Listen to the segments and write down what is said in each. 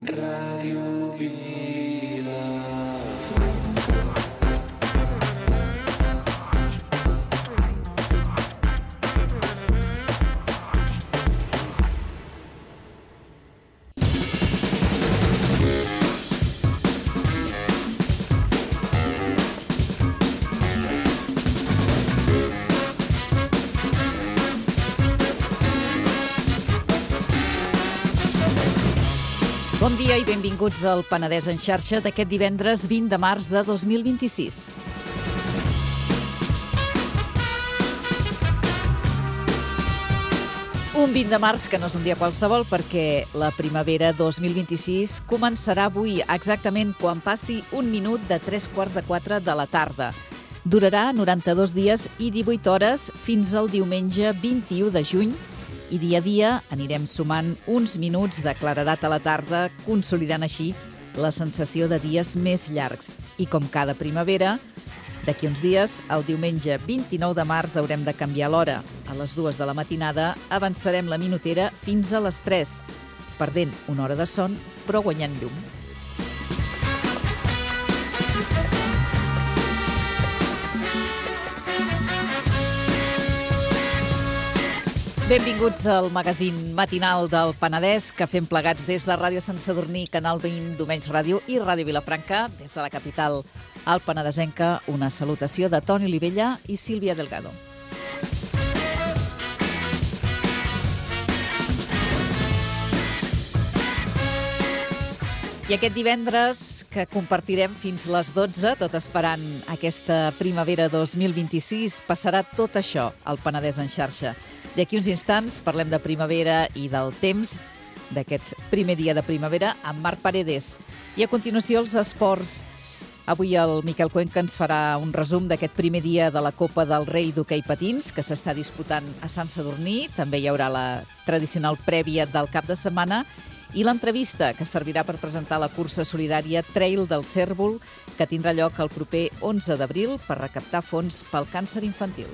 Ràdio Vila. Bon dia i benvinguts al Penedès en xarxa d'aquest divendres 20 de març de 2026. Un 20 de març que no és un dia qualsevol perquè la primavera 2026 començarà avui exactament quan passi un minut de 3:45 de la tarda. Durarà 92 dies i 18 hores fins al diumenge 21 de juny i dia a dia anirem sumant uns minuts de claredat a la tarda, consolidant així la sensació de dies més llargs. I com cada primavera, d'aquí uns dies, el diumenge 29 de març, haurem de canviar l'hora. A les 2 de la matinada avançarem la minutera fins a les 3, perdent una hora de son, però guanyant llum. Benvinguts al magazín matinal del Penedès que fem plegats des de Ràdio Sant Sadurní, Canal 20, Domenys Ràdio i Ràdio Vilafranca, des de la capital al Penedesenca. Una salutació de Toni Olivella i Sílvia Delgado. I aquest divendres que compartirem fins les 12, tot esperant aquesta primavera 2026, passarà tot això al Penedès en xarxa. D'aquí uns instants parlem de primavera i del temps d'aquest primer dia de primavera amb Marc Paredes. I a continuació els esports. Avui el Miquel Cuenca ens farà un resum d'aquest primer dia de la Copa del Rei d'hoquei patins que s'està disputant a Sant Sadurní. També hi haurà la tradicional prèvia del cap de setmana i l'entrevista que servirà per presentar la cursa solidària Trail del Cérvol que tindrà lloc el proper 11 d'abril per recaptar fons pel càncer infantil.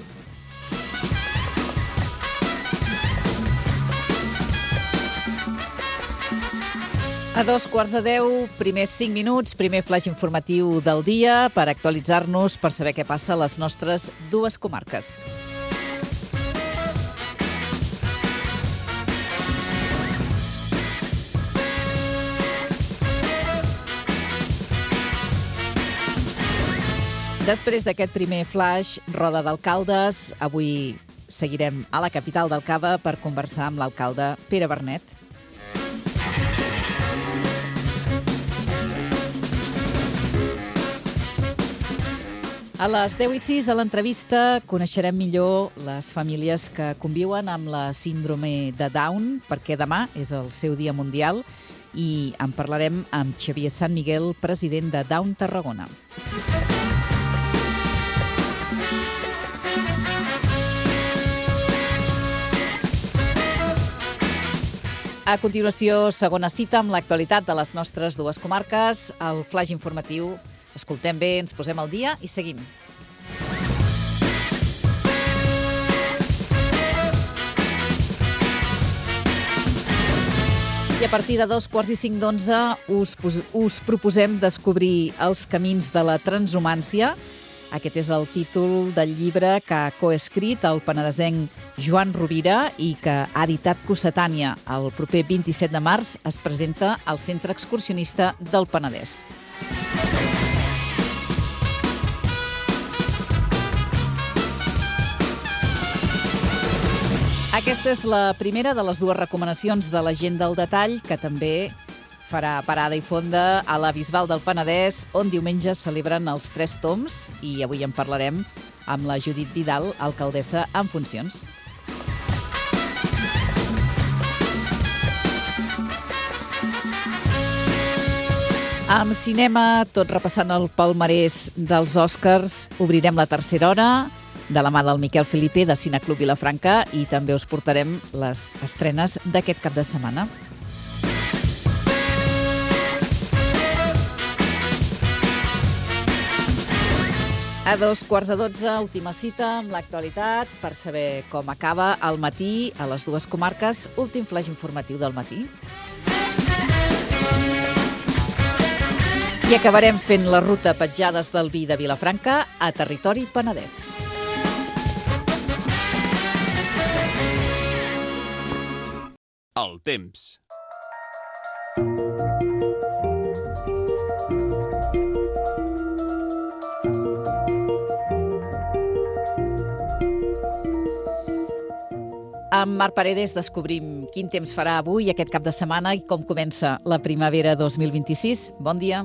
A 2:45, primers 5 minuts, primer flash informatiu del dia per actualitzar-nos, per saber què passa a les nostres dues comarques. Després d'aquest primer flash, roda d'alcaldes, avui seguirem a la capital del Cava per conversar amb l'alcalde Pere Bernet. A les 10:06 a l'entrevista coneixerem millor les famílies que conviuen amb la síndrome de Down, perquè demà és el seu dia mundial i en parlarem amb Xavier Sant Miguel, president de Down Tarragona. A continuació, segona cita amb l'actualitat de les nostres dues comarques, el flash informatiu. Escoltem bé, ens posem al dia i seguim. I a partir de 2:45 us proposem descobrir els camins de la transhumància. Aquest és el títol del llibre que ha coescrit el penedesenc Joan Rovira i que ha editat Cossetània. El proper 27 de març es presenta al Centre Excursionista del Penedès. Aquesta és la primera de les dues recomanacions de la gent del detall, que també farà parada i fonda a la Bisbal del Penedès, on diumenge celebren els 3 tombs, i avui en parlarem amb la Judit Vidal, alcaldessa en funcions. Amb cinema, tot repassant el palmarès dels Oscars, obrirem la tercera hora de la mà del Miquel Felipe de Cineclub Vilafranca i també us portarem les estrenes d'aquest cap de setmana. A 2:15, última cita amb l'actualitat per saber com acaba el matí a les dues comarques. Últim flash informatiu del matí. I acabarem fent la ruta Petjades del Vi de Vilafranca a Territori Penedès. El temps. Amb Marc Paredes descobrim quin temps farà avui, aquest cap de setmana, i com comença la primavera 2026. Bon dia.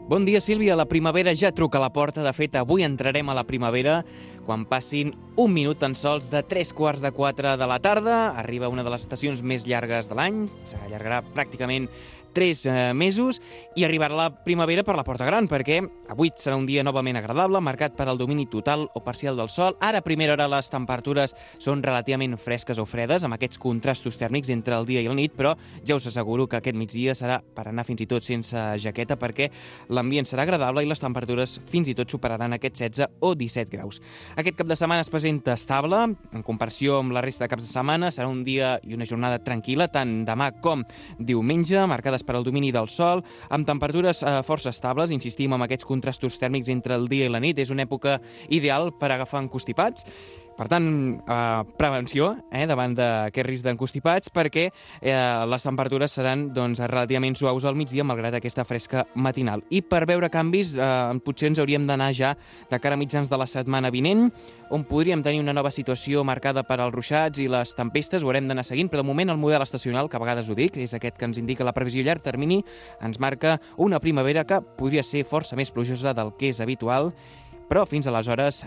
Bon dia, Sílvia. La primavera ja truca a la porta. De fet, avui entrarem a la primavera quan passin un minut tan sols de 3:45 de la tarda. Arriba una de les estacions més llargues de l'any. S'allargarà pràcticament 3 mesos i arribarà la primavera per la porta gran, perquè avui serà un dia novament agradable, marcat per el domini total o parcial del sol. Ara, a primera hora, les temperatures són relativament fresques o fredes, amb aquests contrastos tèrmics entre el dia i la nit, però ja us asseguro que aquest migdia serà per anar fins i tot sense jaqueta, perquè l'ambient serà agradable i les temperatures fins i tot superaran aquests 16 o 17 graus. Aquest cap de setmana es presenta estable, en comparació amb la resta de caps de setmana. Serà un dia i una jornada tranquil·la, tant demà com diumenge, marcades per al domini del sol, amb temperatures força estables. Insistim en aquests contrastos tèrmics entre el dia i la nit. És una època ideal per agafar encostipats. Per tant, prevenció davant d'aquest risc d'encostipats, perquè les temperatures seran relativament suaus al migdia, malgrat aquesta fresca matinal. I per veure canvis, potser ens hauríem d'anar ja de cara a mitjans de la setmana vinent, on podríem tenir una nova situació marcada per als ruixats i les tempestes. Ho haurem d'anar seguint, però de moment el model estacional, que a vegades ho dic, és aquest que ens indica la previsió a llarg termini, ens marca una primavera que podria ser força més plujosa del que és habitual, però fins aleshores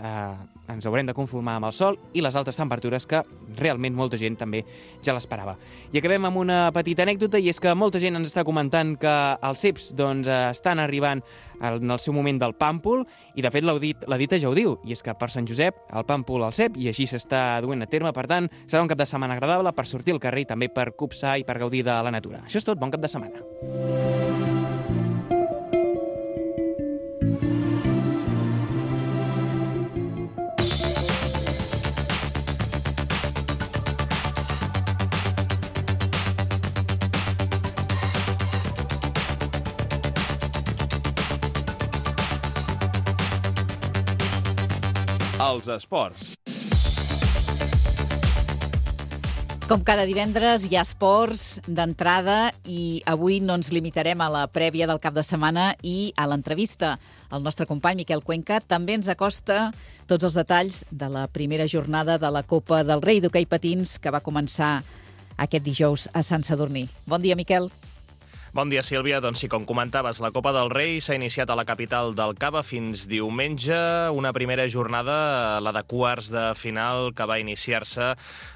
ens haurem de conformar amb el sol i les altes temperatures, que realment molta gent també ja l'esperava. I acabem amb una petita anècdota, i és que molta gent ens està comentant que els ceps estan arribant en el seu moment del pàmpol, i de fet la dita ja ho diu, i és que per Sant Josep el pàmpol al cep, i així s'està duent a terme. Per tant, serà un cap de setmana agradable per sortir al carrer i també per copsar i per gaudir de la natura. Això és tot, bon cap de setmana. Els esports. Com cada divendres hi ha esports d'entrada, i avui no ens limitarem a la prèvia del cap de setmana i a l'entrevista. El nostre company Miquel Cuenca també ens acosta tots els detalls de la primera jornada de la Copa del Rei d'hoquei patins, que va començar aquest dijous a Sant Sadurní. Bon dia, Miquel. Bon dia, Sílvia. Doncs sí, com comentaves, la Copa del Rei s'ha iniciat a la capital del Cava fins diumenge. Una primera jornada, la de quarts de final, que va iniciar-se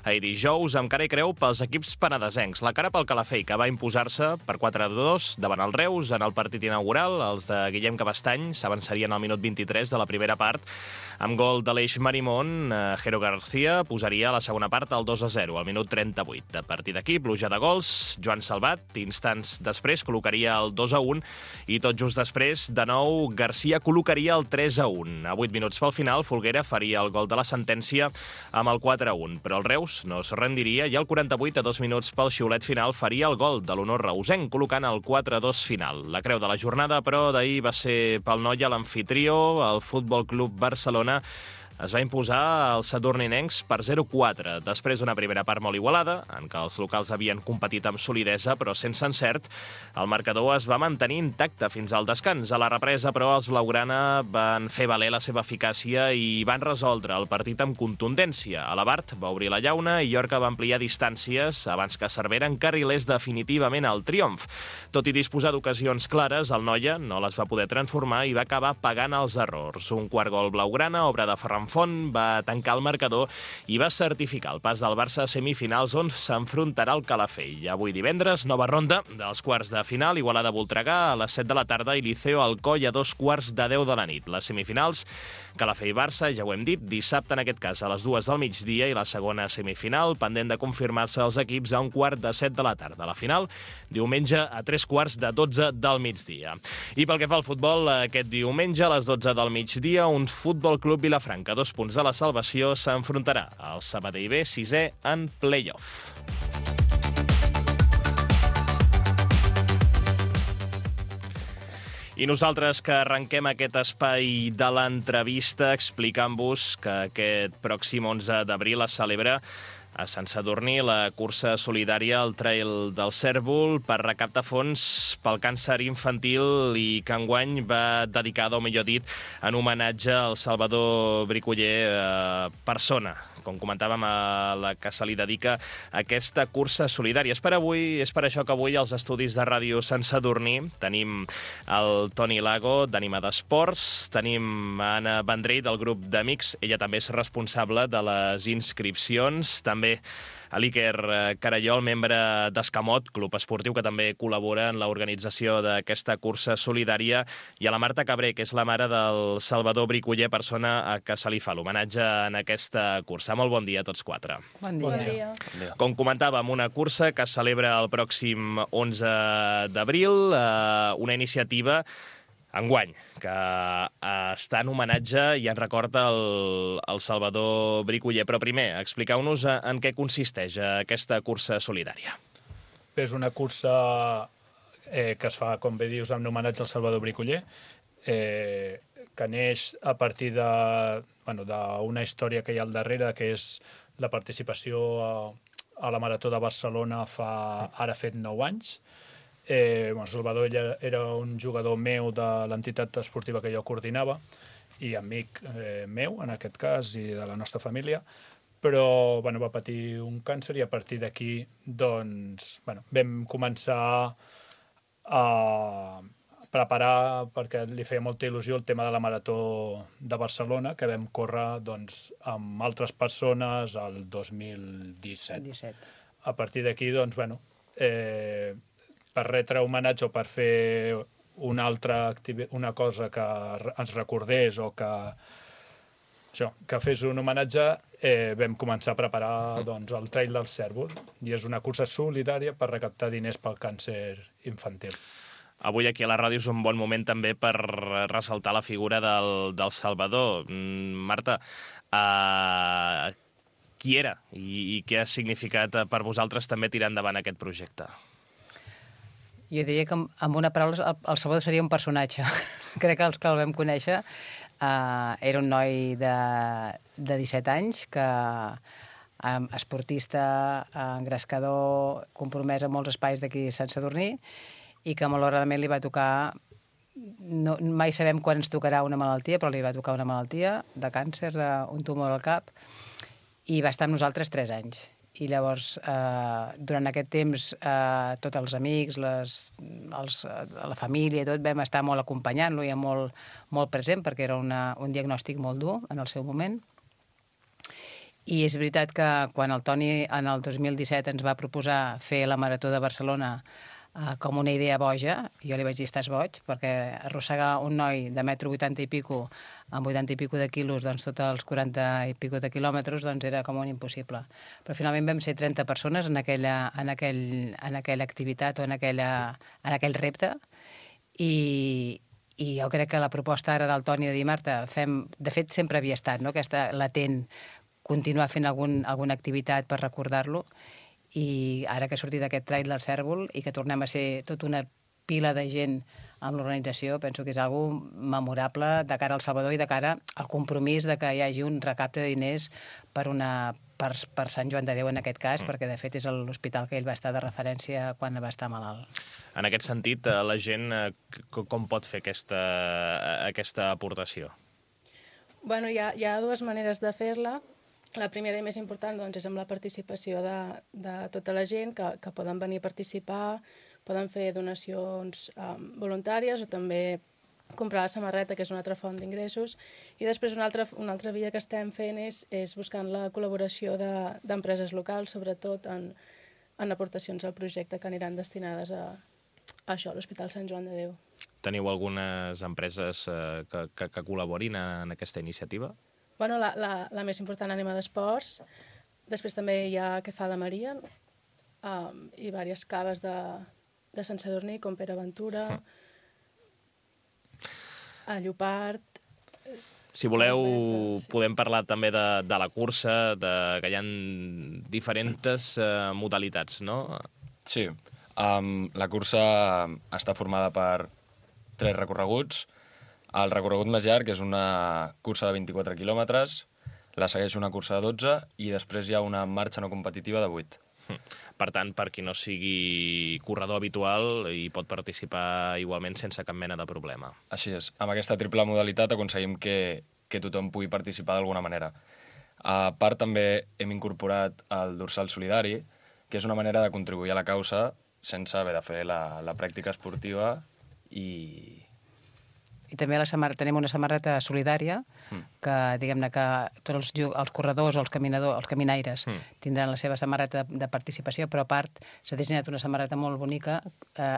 ahir dijous, amb cara i creu pels equips penedesencs. La cara pel Calafell, que va imposar-se per 4-2 davant el Reus en el partit inaugural. Els de Guillem Cabestany s'avançarien al minut 23 de la primera part. Amb gol d'Aleix Marimón, Jero García posaria a la segona part el 2-0, al minut 38. A partir d'aquí, pluja de gols. Joan Salvat, instants després, col·locaria el 2-1, i tot just després, de nou, García col·locaria el 3-1. A 8 minuts pel final, Folguera faria el gol de la sentència amb el 4-1, però el Reus no es rendiria, i al 48, a 2 minuts pel xiulet final, faria el gol de l'honor reusenc, col·locant el 4-2 final. La creu de la jornada, però, d'ahir va ser pel Noia, l'amfitrió, el Futbol Club Barcelona. Es va imposar als sadurninencs per 0-4, després d'una primera part molt igualada, en què els locals havien competit amb solidesa, però sense encert. El marcador es va mantenir intacte fins al descans. A la represa, però, els blaugrana van fer valer la seva eficàcia i van resoldre el partit amb contundència. Alabart va obrir la llauna i Llorca va ampliar distàncies abans que Cervera encarrilés definitivament el triomf. Tot i disposar d'ocasions clares, el Noia no les va poder transformar i va acabar pagant els errors. Un quart gol blaugrana, obra de Ferran Font, va tancar el marcador i va certificar el pas del Barça a semifinals, on s'enfrontarà al Calafell. Avui divendres, nova ronda dels quarts de final, Igualada-Voltregà a les 7 de la tarda i Liceo-Alcoi a 2:15 de la nit. Les semifinals, Calafell-Barça, ja ho hem dit, dissabte en aquest cas a les 2 del migdia, i la segona semifinal, pendent de confirmar-se els equips, a 1:15 de la tarda. La final, diumenge a 3:15 del migdia. I pel que fa al futbol, aquest diumenge a les 12 del migdia, un Futbol Club Vilafranca, 2 punts de la salvació, s'enfrontarà al Sabadell B, 6è en play-off. I nosaltres que arrenquem aquest espai de l'entrevista explicant-vos que aquest pròxim 11 d'abril es celebra a Sant Sadurní la cursa solidària al Trail del Cérvol per recaptar fons pel càncer infantil i que enguany va dedicada, o millor dit, en homenatge al Salvador Bricoller, persona, com comentàvem, a la que se li dedica aquesta cursa solidària. És per això que avui als estudis de Ràdio Sant Sadurní tenim el Toni Lago, d'Ànima d'Esports, tenim Anna Vendrell, del grup d'Amics, ella també és responsable de les inscripcions, també a l'Iker Carallol, membre d'Escamot, club esportiu que també col·labora en l'organització d'aquesta cursa solidària, i a la Marta Cabré, que és la mare del Salvador Bricoller, persona a que se li fa l'homenatge en aquesta cursa. Molt bon dia a tots quatre. Bon dia. Com comentàvem, una cursa que es celebra el pròxim 11 d'abril, una iniciativa enguany, que està en homenatge i en record al Salvador Bricoller. Però primer, expliqueu-nos en què consisteix aquesta cursa solidària. És una cursa que es fa, com bé dius, en homenatge al Salvador Bricoller, que neix a partir d'una història que hi ha al darrere, que és la participació a la Marató de Barcelona ara fet 9 anys. Salvador era un jugador meu de l'entitat esportiva que jo coordinava i amic meu, en aquest cas, i de la nostra família, però va patir un càncer i a partir d'aquí vam començar a preparar, perquè li feia molta il·lusió, el tema de la Marató de Barcelona, que vam córrer amb altres persones el 2017. A partir d'aquí, per retre homenatge o per fer una cosa que ens recordés o que fes un homenatge, vam començar a preparar el Trail del Cérvol, i és una cursa solidària per recaptar diners pel càncer infantil. Avui aquí a la ràdio és un bon moment també per ressaltar la figura del Salvador. Marta, qui era i què ha significat per vosaltres també tirar endavant aquest projecte? Jo diria que, amb una paraula, el Salvador seria un personatge. Crec que els que el vam conèixer era un noi de 17 anys, esportista, engrescador, compromès en molts espais d'aquí a Sant Sadurní, i que malauradament li va tocar, mai sabem quan ens tocarà una malaltia, però li va tocar una malaltia de càncer, un tumor al cap, i va estar amb nosaltres 3 anys. I llavors, durant aquest temps, tots els amics, la família i tot, vam estar molt acompanyant-lo i molt present, perquè era un diagnòstic molt dur en el seu moment. I és veritat que quan el Toni, en el 2017, ens va proposar fer la Marató de Barcelona com una idea boja, jo li vaig dir, estàs boig, perquè arrossegar un noi de 1,80 m i pico, amb 80 i pico de quilos, tots els 40 i pico de quilòmetres, era com un impossible. Però finalment vam ser 30 persones en aquella activitat o en aquell repte, i jo crec que la proposta ara del Toni de dir, Marta, de fet sempre havia estat, aquesta latent, continuar fent alguna activitat per recordar-lo, i ara que ha sortit aquest Trail del Cérvol i que tornem a ser tota una pila de gent amb l'organització, penso que és algo memorable de cara al Salvador i de cara al compromís de que hi hagi un recapte de diners per Sant Joan de Déu en aquest cas, perquè de fet és l'hospital que ell va estar de referència quan va estar malalt. En aquest sentit, la gent com pot fer aquesta aportació? Hi ha dues maneres de fer-la. La primera i més important és amb la participació de tota la gent que poden venir a participar, poden fer donacions voluntàries o també comprar la samarreta, que és una altra font d'ingressos. I després una altra via que estem fent és buscant la col·laboració d'empreses locals, sobretot en aportacions al projecte que aniran destinades a això, a l'Hospital Sant Joan de Déu. Teniu algunes empreses que col·laborin en aquesta iniciativa? La més important, Ànima d'Esports. Després també hi ha Que fa la Maria i diverses caves de Sant Sadurní, com Pere Ventura, a Llopart. Si voleu, podem parlar també de la cursa, que hi ha diferents modalitats, no? Sí. La cursa està formada per 3 recorreguts. El recorregut més llarg és una cursa de 24 quilòmetres, la segueix una cursa de 12 i després hi ha una marxa no competitiva de 8. Per tant, per qui no sigui corredor habitual, hi pot participar igualment sense cap mena de problema. Així és. Amb aquesta triple modalitat aconseguim que tothom pugui participar d'alguna manera. A part, també hem incorporat el dorsal solidari, que és una manera de contribuir a la causa sense haver de fer la pràctica esportiva i també tenim una samarreta solidària que, diguem-ne, que tots els corredors o els caminaires tindran la seva samarreta de participació, però a part s'ha dissenyat una samarreta molt bonica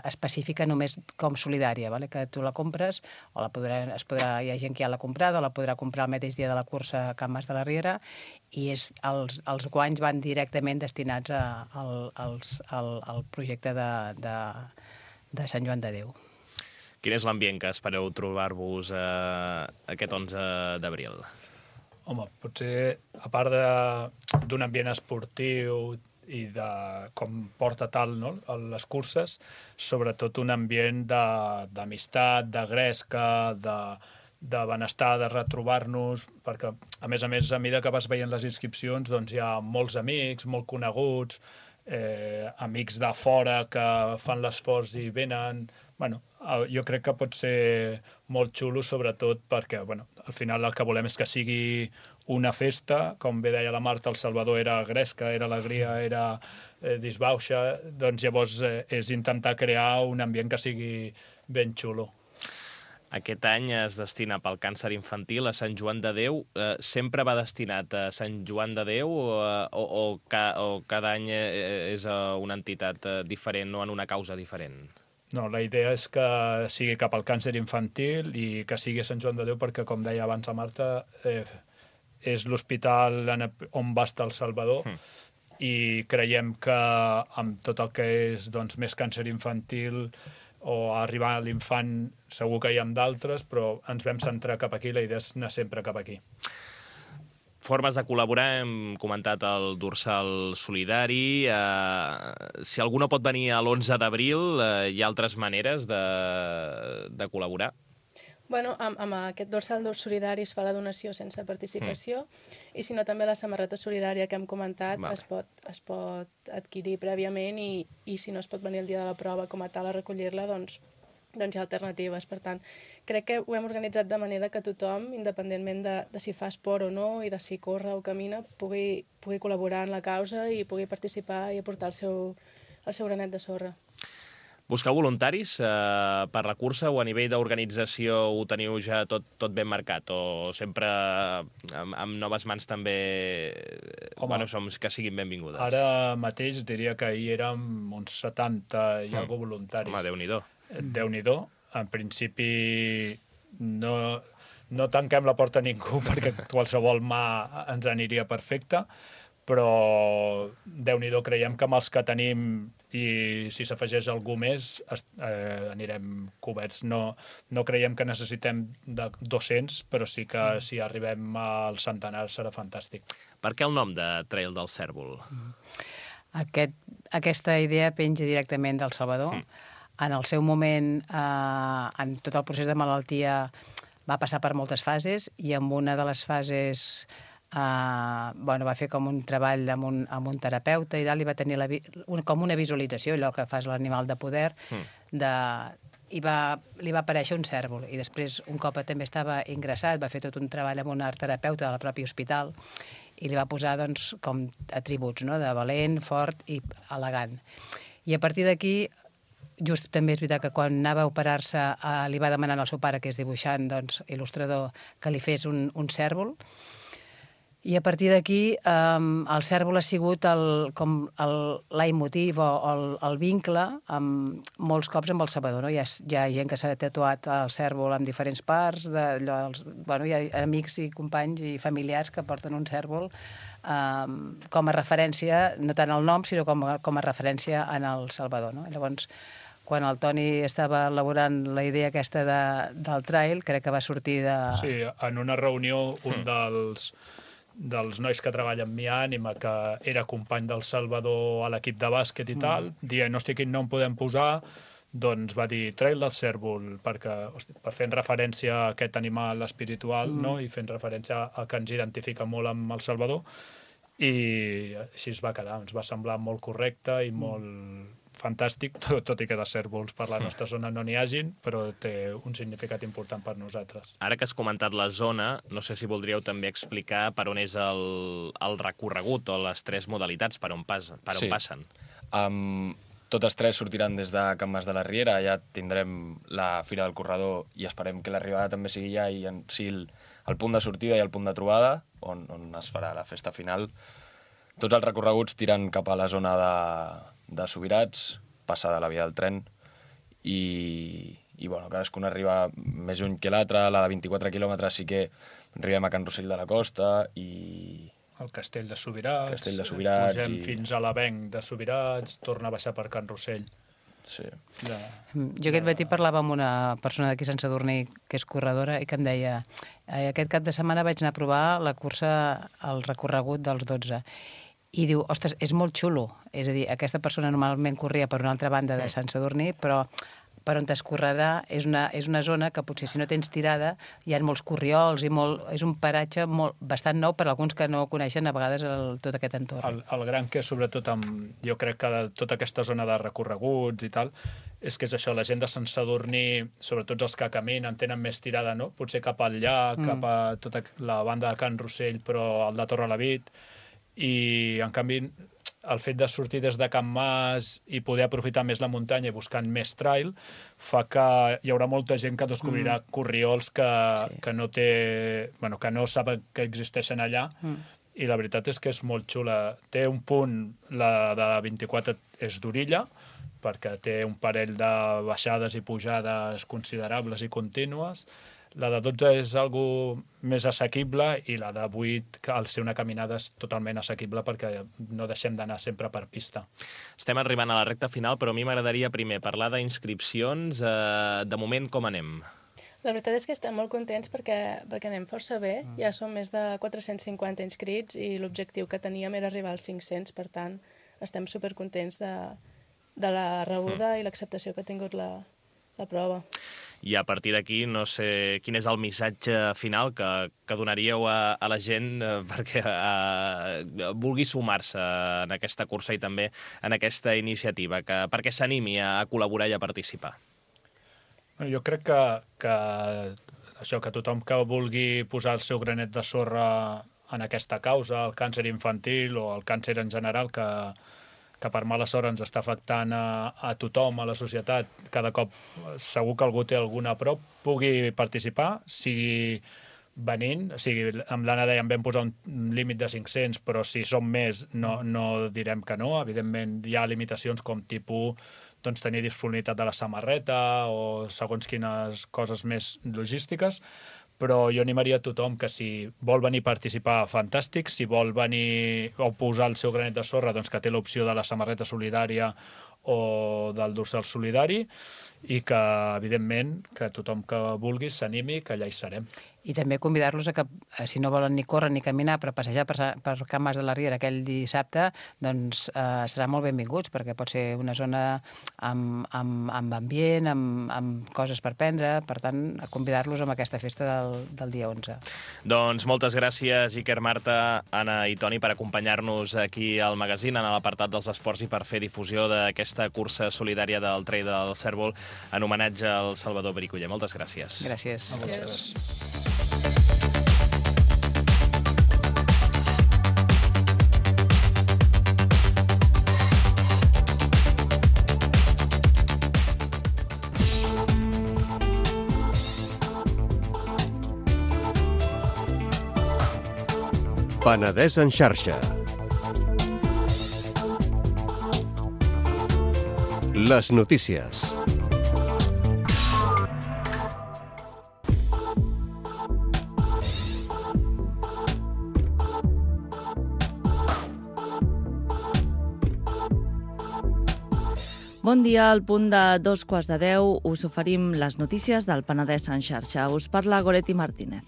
específica només com solidària, vale? Que tu la compres o hi ha gent que ja l'ha comprada o la podrà comprar el mateix dia de la cursa a Can Mas de la Riera i els guanys van directament destinats al projecte de Sant Joan de Déu. Quin és l'ambient que espereu trobar-vos aquest 11 d'abril? Home, potser, a part d'un ambient esportiu i de com porta tal, no?, les curses, sobretot un ambient d'amistat, de gresca, de benestar, de retrobar-nos, perquè, a més, a mesura que vas veient les inscripcions, doncs hi ha molts amics, molt coneguts, amics de fora que fan l'esforç i venen. Bueno, jo crec que pot ser molt xulo, sobretot perquè, al final el que volem és que sigui una festa, com bé deia la Marta, el Salvador era gresca, era alegria, era disbauxa, doncs llavors és intentar crear un ambient que sigui ben xulo. Aquest any es destina pel càncer infantil a Sant Joan de Déu. Sempre va destinat a Sant Joan de Déu o cada any és una entitat diferent o en una causa diferent? No, la idea és que sigui cap al càncer infantil i que sigui a Sant Joan de Déu perquè, com deia abans la Marta, és l'hospital on va estar el Salvador i creiem que amb tot el que és més càncer infantil o arribar a l'infant segur que hi ha d'altres, però ens vam centrar cap aquí, la idea és anar sempre cap aquí. Formes de col·laborar, hem comentat el dorsal solidari. Si algú no pot venir a l'11 d'abril, hi ha altres maneres de col·laborar? Bueno, amb aquest dorsal solidari es fa la donació sense participació i si no també la samarreta solidària que hem comentat es pot adquirir prèviament i si no es pot venir el dia de la prova com a tal a recollir-la, doncs hi ha alternatives. Per tant, crec que ho hem organitzat de manera que tothom, independentment de si fa esport o no i de si corre o camina, pugui col·laborar en la causa i pugui participar i aportar el seu granet de sorra. Busqueu voluntaris per la cursa o a nivell d'organització ho teniu ja tot ben marcat o sempre amb noves mans també som que siguin benvingudes? Ara mateix diria que ahir érem uns 70 i algo voluntaris. Home, Déu-n'hi-do. Déu-n'hi-do. En principi no tanquem la porta a ningú perquè qualsevol mà ens aniria perfecte, però Déu-n'hi-do, creiem que amb els que tenim i si s'afegeix algú més anirem coberts. No creiem que necessitem de 200, però sí que si arribem al centenar serà fantàstic. Per què el nom de Trail del Cérvol? Aquesta idea penja directament del Salvador. En el seu moment, en tot el procés de malaltia, va passar per moltes fases i en una de les fases va fer com un treball amb un terapeuta i li va tenir com una visualització, allò que fas l'animal de poder, i li va aparèixer un cérvol. I després, un cop també estava ingressat, va fer tot un treball amb un art terapeuta del propi hospital i li va posar com atributs, no?, de valent, fort i elegant. I a partir d'aquí, just també és veritat que quan anava a operar-se li va demanar al seu pare, que és dibuixant, il·lustrador, que li fes un cérvol. I a partir d'aquí el cérvol ha sigut com el leitmotiv o el vincle molts cops amb el Salvador. No? Hi ha gent que s'ha tatuat el cérvol en diferents parts, hi ha amics i companys i familiars que porten un cérvol com a referència, no tant al nom, sinó com a referència en el Salvador. No? Llavors, quan el Toni estava elaborant la idea aquesta del trail, crec que va sortir de... Sí, en una reunió un dels nois que treballa amb mi, Ànima, que era company del Salvador a l'equip de bàsquet i tal, dient, hosti, quin nom podem posar? doncs va dir Trail del Cérvol, per fer referència a aquest animal espiritual, no? I fent referència a que ens identifica molt amb el Salvador, i així es va quedar. Ens va semblar molt correcte i molt fantàstic, tot i que de cérvols per la nostra zona no n'hi hagin, però té un significat important per nosaltres. Ara que has comentat la zona, no sé si voldríeu també explicar per on és el recorregut o les 3 modalitats per on passen. Totes 3 sortiran des de Can Mas de la Riera, allà tindrem la Fira del Corredor i esperem que l'arribada també sigui allà i sigui el punt de sortida i el punt de trobada, on es farà la festa final. Tots els recorreguts tiren cap a la zona de Subirats, passada la via del tren, i bueno, cadascun arriba més lluny que l'altre. La de 24 quilòmetres sí que arribem a Can Rossell de la Costa i... El Castell de Subirats, pugem fins a l'Avenc de Subirats, torna a baixar per Can Rossell. Sí. Jo aquest matí parlava amb una persona d'aquí Sant Sadurní que és corredora i que em deia aquest cap de setmana vaig anar a provar la cursa, el recorregut dels 12. I diu, ostres, és molt xulo. És a dir, aquesta persona normalment corria per una altra banda de Sant Sadurní, però per on es correrà és una zona que potser si no tens tirada hi ha molts corriols i és un paratge bastant nou per alguns que no coneixen a vegades tot aquest entorn. El gran que sobretot jo crec que de tota aquesta zona de recorreguts i tal, és que és això, la gent de Sant Sadurní, sobretot els que caminen, tenen més tirada, no? Potser cap al llac, cap a tota la banda de Can Rossell, però el de Torrelavit, i en canvi el fet de sortir des de Can Mas i poder aprofitar més la muntanya i buscant més trail fa que hi haurà molta gent que descobrirà corriols que no saben que existeixen allà, i la veritat és que és molt xula. Té un punt, la de la 24 és d'orilla, perquè té un parell de baixades i pujades considerables i contínues. La de 12 és algo més assequible i la de 8, al ser una caminada, és totalment assequible perquè no deixem d'anar sempre per pista. Estem arribant a la recta final, però a mi m'agradaria primer parlar d'inscripcions. De moment, com anem? La veritat és que estem molt contents perquè anem força bé. Ja som més de 450 inscrits i l'objectiu que teníem era arribar als 500, per tant, estem supercontents de la rebuda i l'acceptació que ha tingut la prova. I a partir d'aquí, no sé quin és el missatge final que donaríeu a la gent perquè vulgui sumar-se en aquesta cursa i també en aquesta iniciativa, perquè s'animi a col·laborar i a participar. Jo crec que tothom que vulgui posar el seu granet de sorra en aquesta causa, el càncer infantil o el càncer en general, que per mala sort ens està afectant a tothom, a la societat, cada cop segur que algú té alguna prop, pugui participar, sigui venint, amb l'Anna dèiem vam posar un límit de 500, però si som més no direm que no. Evidentment hi ha limitacions com tipus tenir disponibilitat de la samarreta o segons quines coses més logístiques, però jo animaria a tothom que si vol venir a participar, fantàstic. Si vol venir o posar el seu granet de sorra, doncs que té l'opció de la samarreta solidària o del dorsal solidari, i que, evidentment, que tothom que vulgui s'animi, que allà hi serem. I també convidar-los a que, si no volen ni córrer ni caminar, però passejar per Can Mas de la Riera aquell dissabte, doncs seran molt benvinguts, perquè pot ser una zona amb ambient, amb coses per prendre, per tant, a convidar-los a aquesta festa del dia 11. Doncs moltes gràcies, Iker, Marta, Anna i Toni, per acompanyar-nos aquí al magazín, en l'apartat dels esports, i per fer difusió d'aquesta cursa solidària del Trail del Cérvol en homenatge al Salvador Bricoller. Moltes gràcies. Gràcies. Gràcies. Penedès en xarxa. Les notícies. Bon dia, al punt de 2:15 us oferim les notícies del Penedès en xarxa. Us parla Goretti Martínez.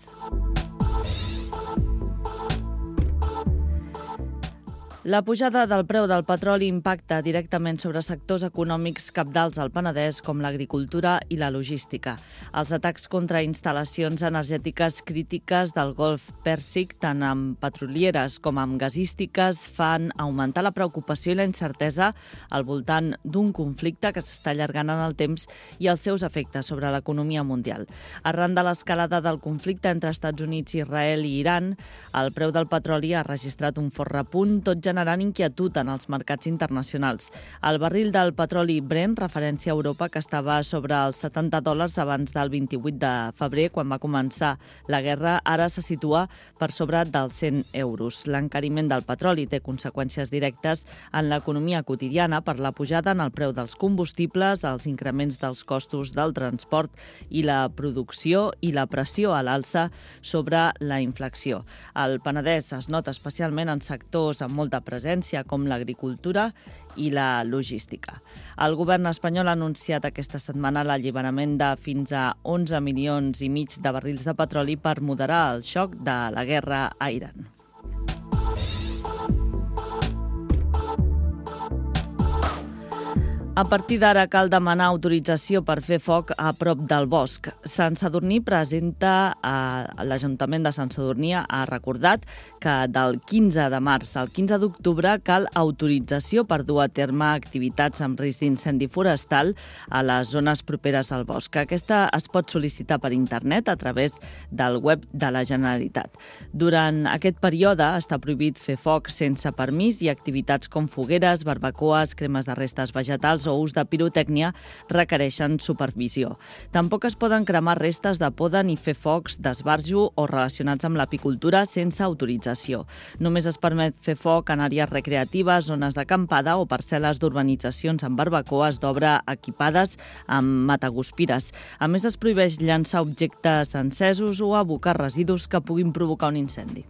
La pujada del preu del petroli impacta directament sobre sectors econòmics cabdals al Penedès com l'agricultura i la logística. Els atacs contra instal·lacions energètiques crítiques del Golf Pèrsic, tant amb petrolieres com amb gasístiques, fan augmentar la preocupació i la incertesa al voltant d'un conflicte que s'està allargant en el temps i els seus efectes sobre l'economia mundial. Arran de l'escalada del conflicte entre Estats Units, Israel i Iran, el preu del petroli ha registrat un fort repunt, tot generant inquietud en els mercats internacionals. El barril del petroli Brent, referència a Europa, que estava sobre els $70 abans del 28 de febrer, quan va començar la guerra, ara se situa per sobre dels 100 euros. L'encariment del petroli té conseqüències directes en l'economia quotidiana per la pujada en el preu dels combustibles, els increments dels costos del transport i la producció i la pressió a l'alça sobre la inflació. El Penedès es nota especialment en sectors amb molta presència, com l'agricultura i la logística. El govern espanyol ha anunciat aquesta setmana l'alliberament de fins a 11,5 milions de barrils de petroli per moderar el xoc de la guerra a Iran. A partir d'ara cal demanar autorització per fer foc a prop del bosc. Sant Sadurní presenta, l'Ajuntament de Sant Sadurní ha recordat que del 15 de març al 15 d'octubre cal autorització per dur a terme activitats amb risc d'incendi forestal a les zones properes al bosc. Aquesta es pot sol·licitar per internet a través del web de la Generalitat. Durant aquest període està prohibit fer foc sense permís i activitats com fogueres, barbacoes, cremes de restes vegetals o ús de pirotècnia requereixen supervisió. Tampoc es poden cremar restes de poda ni fer focs d'esbarjo o relacionats amb l'apicultura sense autorització. Només es permet fer foc en àrees recreatives, zones d'acampada o parcel·les d'urbanitzacions amb barbacoes d'obra equipades amb mataguspires. A més, es prohibeix llançar objectes encesos o abocar residus que puguin provocar un incendi.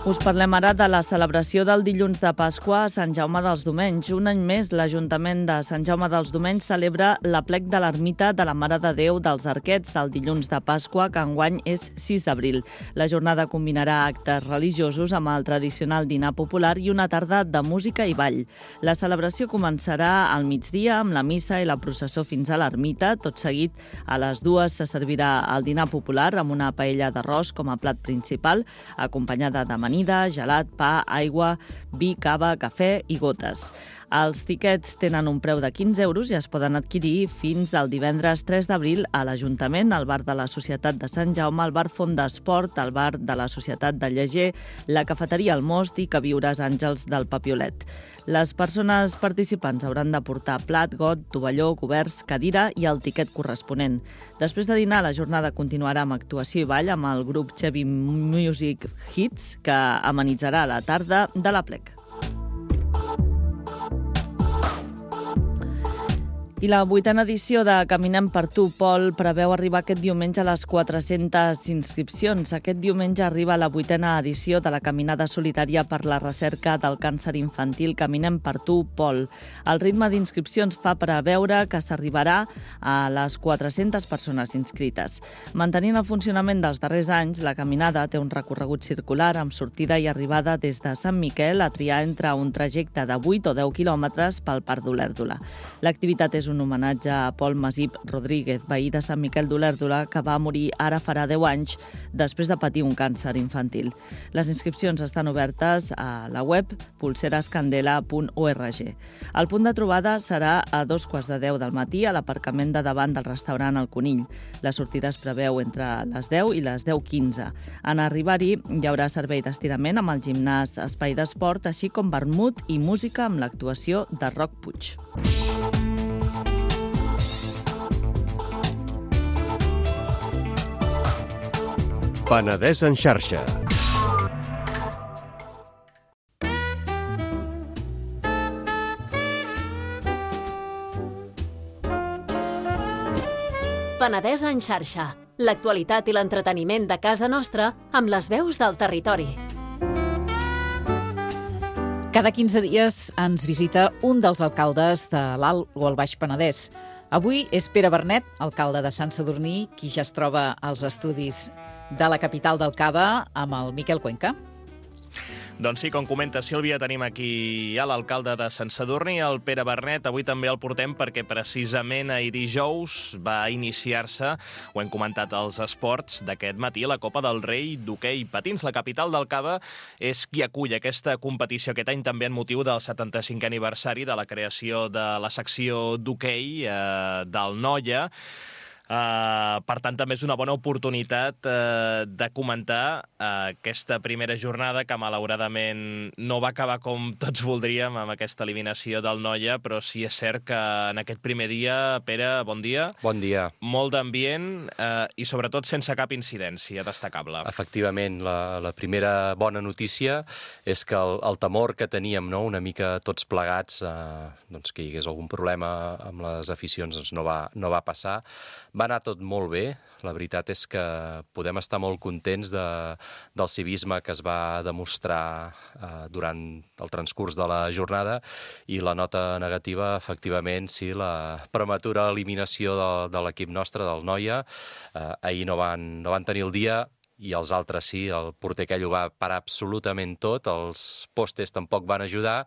Us parlem ara de la celebració del dilluns de Pasqua a Sant Jaume dels Domenys. Un any més, l'Ajuntament de Sant Jaume dels Domenys celebra l'aplec de l'ermita de la Mare de Déu dels Arquets el dilluns de Pasqua, que enguany és 6 d'abril. La jornada combinarà actes religiosos amb el tradicional dinar popular i una tarda de música i ball. La celebració començarà al migdia amb la missa i la processó fins a l'ermita. Tot seguit, a les 2 se servirà el dinar popular amb una paella d'arròs com a plat principal, acompanyada de gelat, pa, aigua, vi, cava, cafè i gotes. Els tiquets tenen un preu de 15 euros i es poden adquirir fins al divendres 3 d'abril a l'Ajuntament, al bar de la Societat de Sant Jaume, al bar Font d'Esport, al bar de la Societat de Lleger, la cafeteria El Most i Queviures Àngels del Papiolet. Les persones participants hauran de portar plat, got, tovalló, coberts, cadira i el tiquet corresponent. Després de dinar, la jornada continuarà amb actuació i ball amb el grup Chevy Music Hits, que amenitzarà la tarda de l'aplec. I la 8a edició de Caminem per tu, Pol, preveu arribar aquest diumenge a les 400 inscripcions. Aquest diumenge arriba la 8a edició de la Caminada Solitària per la Recerca del Càncer Infantil Caminem per tu, Pol. El ritme d'inscripcions fa preveure que s'arribarà a les 400 persones inscrites. Mantenint el funcionament dels darrers anys, la caminada té un recorregut circular amb sortida i arribada des de Sant Miquel a triar entre un trajecte de 8 o 10 quilòmetres pel Parc d'Olèrdola. L'activitat és un homenatge a Pol Masip Rodríguez, veí de Sant Miquel d'Olèrdola, que va morir ara farà 10 anys després de patir un càncer infantil. Les inscripcions estan obertes a la web pulserascandela.org. El punt de trobada serà a 9:15 del matí a l'aparcament de davant del restaurant El Conill. La sortida es preveu entre les 10 i les 10:15. En arribar-hi hi haurà servei d'estirament amb el gimnàs Espai d'Esport, així com vermut i música amb l'actuació de Roc Puig. Penedès en xarxa. Penedès en xarxa. L'actualitat i l'entreteniment de casa nostra amb les veus del territori. Cada 15 dies ens visita un dels alcaldes de l'Alt o el Baix Penedès. Avui és Pere Bernet, alcalde de Sant Sadurní, qui ja es troba als estudis. de la capital del Cava amb el Miquel Cuenca. Doncs sí, com comenta Sílvia, tenim aquí a l'alcalde de Sant Sadurní, el Pere Bernet. Avui també el portem perquè precisament ahir dijous va iniciar-se, ho hem comentat als esports d'aquest matí, la Copa del Rei d'hoquei patins. La capital del Cava és qui acull aquesta competició aquest any també en motiu del 75è aniversari de la creació de la secció d'hoquei del Noia. Per tant, també és una bona oportunitat de comentar aquesta primera jornada que malauradament no va acabar com tots voldríem amb aquesta eliminació del Noia, però sí és cert que en aquest primer dia, Pere, bon dia. Bon dia. Molt d'ambient i sobretot sense cap incidència destacable. Efectivament, la primera bona notícia és que el temor que teníem, no, una mica tots plegats, doncs que hi hagués algun problema amb les aficions, doncs no va passar. Va anar tot molt bé. La veritat és que podem estar molt contents del civisme que es va demostrar durant el transcurs de la jornada i la nota negativa, efectivament, sí, la prematura eliminació de l'equip nostre, del Noia. Ahir no van tenir el dia, i els altres sí, el porter aquell ho va parar absolutament tot, els postes tampoc van ajudar,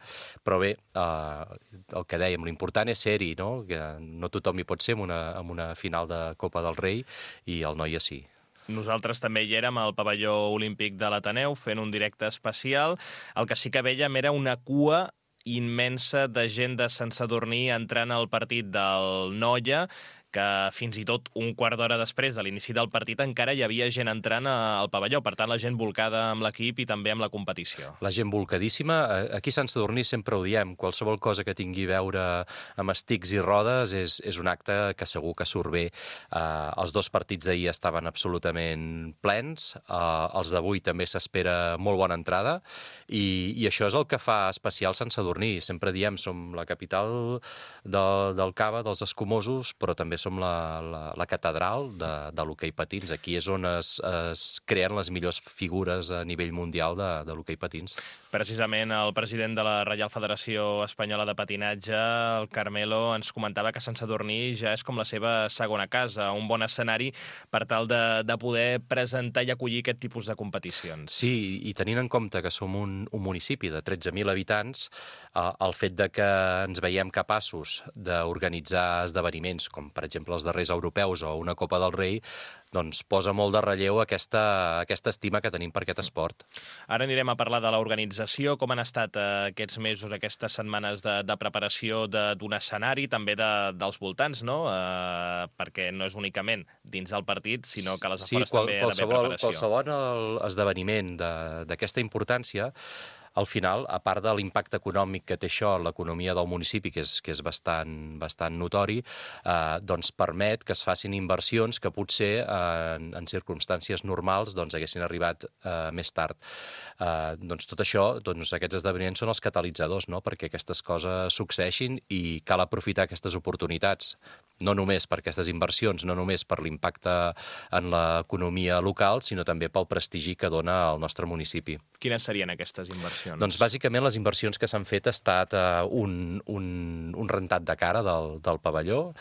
però bé, el que dèiem, l'important és ser-hi, no? Que no tothom hi pot ser en una final de Copa del Rei, i el Noia sí. Nosaltres també hi érem al pavelló olímpic de l'Ateneu fent un directe especial. El que sí que vèiem era una cua immensa de gent de Sant Sadurní entrant al partit del Noia, que fins i tot un quart d'hora després de l'inici del partit encara hi havia gent entrant al pavelló. Per tant, la gent volcada amb l'equip i també amb la competició. La gent volcadíssima. Aquí a Sant Sadurní sempre ho diem, qualsevol cosa que tingui a veure amb estics i rodes és un acte que segur que surt bé. Els dos partits d'ahir estaven absolutament plens, els d'avui també s'espera molt bona entrada, i això és el que fa especial Sant Sadurní. Sempre diem, som la capital del Cava, dels escumosos, però també som la catedral de l'hoquei patins. Aquí és on es creen les millors figures a nivell mundial de l'hoquei patins. Precisament el president de la Reial Federació Espanyola de Patinatge, el Carmelo, ens comentava que Sant Sadurní ja és com la seva segona casa, un bon escenari per tal de poder presentar i acollir aquest tipus de competicions. Sí, i tenint en compte que som un municipi de 13.000 habitants, el fet de que ens veiem capaços d'organitzar esdeveniments com, per exemple, els darrers europeus o una Copa del Rei, doncs posa molt de relleu aquesta estima que tenim per aquest esport. Ara anirem a parlar de l'organització, com han estat aquests mesos, aquestes setmanes de preparació d'un escenari, també dels voltants, no? Perquè no és únicament dins del partit, sinó que a les afores també hi ha d'haver preparació. Qualsevol esdeveniment d'aquesta importància, al final, a part de l'impacte econòmic que té això en l'economia del municipi, que és bastant notori, doncs permet que es facin inversions que potser en circumstàncies normals doncs haguessin arribat més tard. Doncs tot això, doncs aquests esdeveniments són els catalitzadors, no?, perquè aquestes coses succeeixin, i cal aprofitar aquestes oportunitats, no només per aquestes inversions, no només per l'impacte en l'economia local, sinó també pel prestigi que dona al nostre municipi. Quines serien aquestes inversions? Doncs bàsicament les inversions que s'han fet ha estat un rentat de cara del pavelló.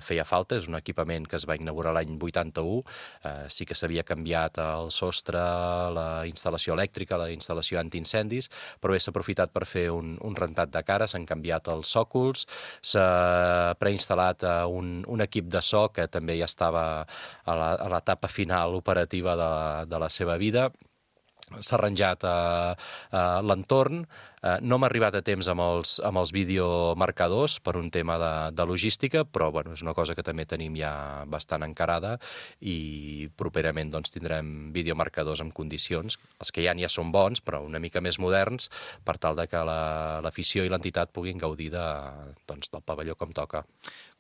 Feia falta, és un equipament que es va inaugurar l'any 81, sí que s'havia canviat el sostre, la instal·lació elèctrica, la instal·lació antiincendis, però bé, s'ha aprofitat per fer un rentat de cara, s'han canviat els sòcols, s'ha preinstal·lat un equip de so que també ja estava a l'etapa final operativa de la seva vida. S'ha arranjat l'entorn. No m'ha arribat a temps amb els videomarcadors per un tema de logística, però bueno, és una cosa que també tenim ja bastant encarada, i properament doncs, tindrem videomarcadors en condicions. Els que ja són bons, però una mica més moderns, per tal de que l'afició i l'entitat puguin gaudir del pavelló com toca.